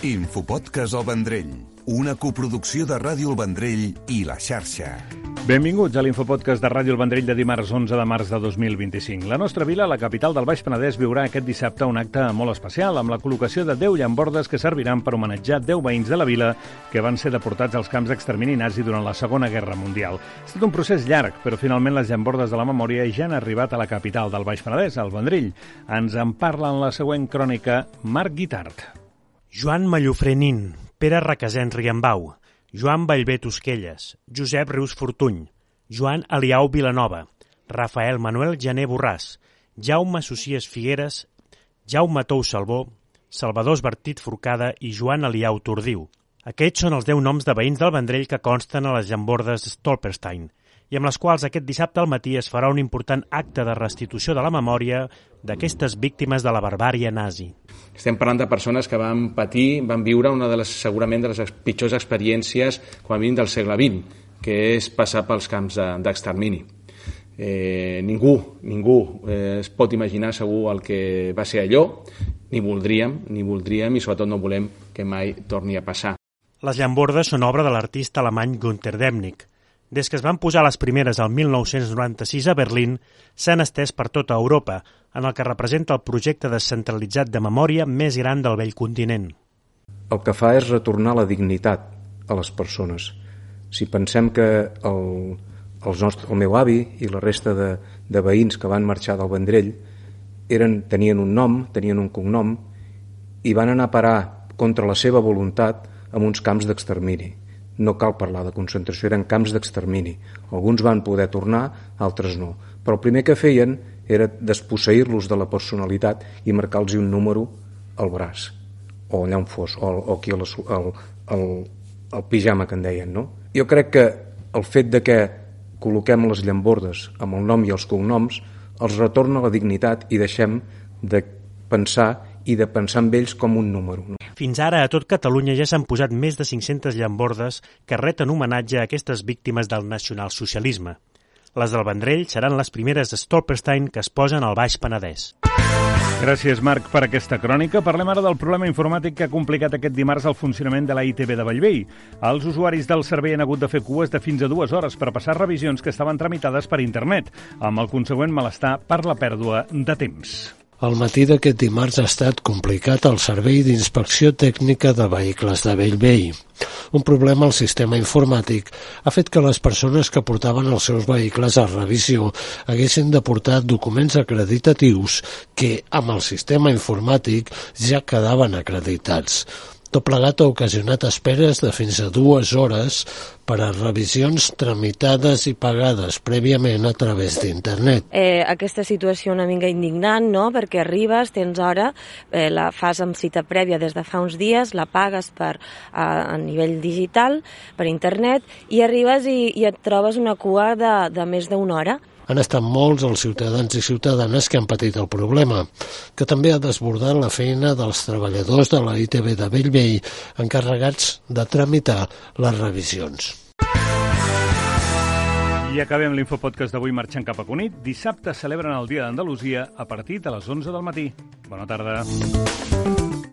Infopodcast El Vendrell, una coproducció de Ràdio El Vendrell i La Xarxa. Benvinguts a l'Infopodcast de Ràdio El Vendrell de dimarts 11 de març de 2025. La nostra vila, la capital del Baix Penedès, viurà aquest dissabte un acte molt especial amb la col·locació de 10 llambordes que serviran per homenatjar 10 veïns de la vila que van ser deportats als camps d'extermini nazi durant la Segona Guerra Mundial. Ha estat un procés llarg, però finalment les llambordes de la memòria ja han arribat a la capital del Baix Penedès, al Vendrell. Ens en parla en la següent crònica Marc Guitart. Joan Mallofré Nin, Pere Requesens Riambau, Joan Ballbé Tosquelles, Josep Rius Fortuny, Joan Eliau Vilanova, Rafael Manuel Jané Borràs, Jaume Socies Figueres, Jaume Tou Salvó, Salvador Esbertit Forcada i Joan Eliau Tordiu. Aquests són els 10 noms de veïns del Vendrell que consten a les llambordes Stolperstein i amb les quals aquest dissabte al matí es farà un important acte de restitució de la memòria d'aquestes víctimes de la barbàrie nazi. Estem parlant de persones que van patir, van viure una de les, segurament, de les pitjors experiències, com a mínim, del segle XX, que és passar pels camps d'extermini. Ningú es pot imaginar segur el que va ser allò, ni voldríem, i sobretot no volem que mai torni a passar. Les llambordes són obra de l'artista alemany Günter Demnig. Des que es van posar les primeres al 1996 a Berlín, s'han estès per tota Europa, en el que representa el projecte descentralitzat de memòria més gran del vell continent. El que fa és retornar la dignitat a les persones. Si pensem que el meu avi i la resta de veïns que van marxar del Vendrell tenien un nom, tenien un cognom i van anar a parar contra la seva voluntat en uns camps d'extermini. No cal parlar de concentració, eren camps d'extermini. Alguns van poder tornar, altres no. Però el primer que feien era desposseir-los de la personalitat i marcar-los un número al braç, o allà on fos, o aquí al pijama que en deien, no? Jo crec que el fet de que col·loquem les llambordes amb el nom i els cognoms els retorna la dignitat i deixem de pensar en ells com un número. No? Fins ara a tot Catalunya ja s'han posat més de 500 llambordes que reten homenatge a aquestes víctimes del nacionalsocialisme. Les del Vendrell seran les primeres Stolperstein que es posen al Baix Penedès. Gràcies, Marc, per aquesta crònica. Parlem ara del problema informàtic que ha complicat aquest dimarts el funcionament de la ITV de Bellvei. Els usuaris del servei han hagut de fer cues de fins a 2 hores per passar revisions que estaven tramitades per internet, amb el consegüent malestar per la pèrdua de temps. El matí d'aquest dimarts ha estat complicat al Servei d'Inspecció Tècnica de Vehicles de Bellvei. Un problema al sistema informàtic ha fet que les persones que portaven els seus vehicles a revisió haguessin de portar documents acreditatius que, amb el sistema informàtic, ja quedaven acreditats. Tot plegat ha ocasionat esperes de fins a 2 hores per a revisions tramitades i pagades prèviament a través d'internet. Aquesta situació una mica indignant, no?, perquè arribes, tens hora, la fas amb cita prèvia des de fa uns dies, la pagues a nivell digital, per internet, i arribes i et trobes una cua de més d'1 hora. Han estat molts els ciutadans i ciutadanes que han patit el problema, que també ha desbordat la feina dels treballadors de la ITV de Bellvei encarregats de tramitar les revisions. I acabem l'Infopodcast d'avui marxant cap a Cunit. Dissabte celebren el Dia d'Andalusia a partir de les 11 del matí. Bona tarda.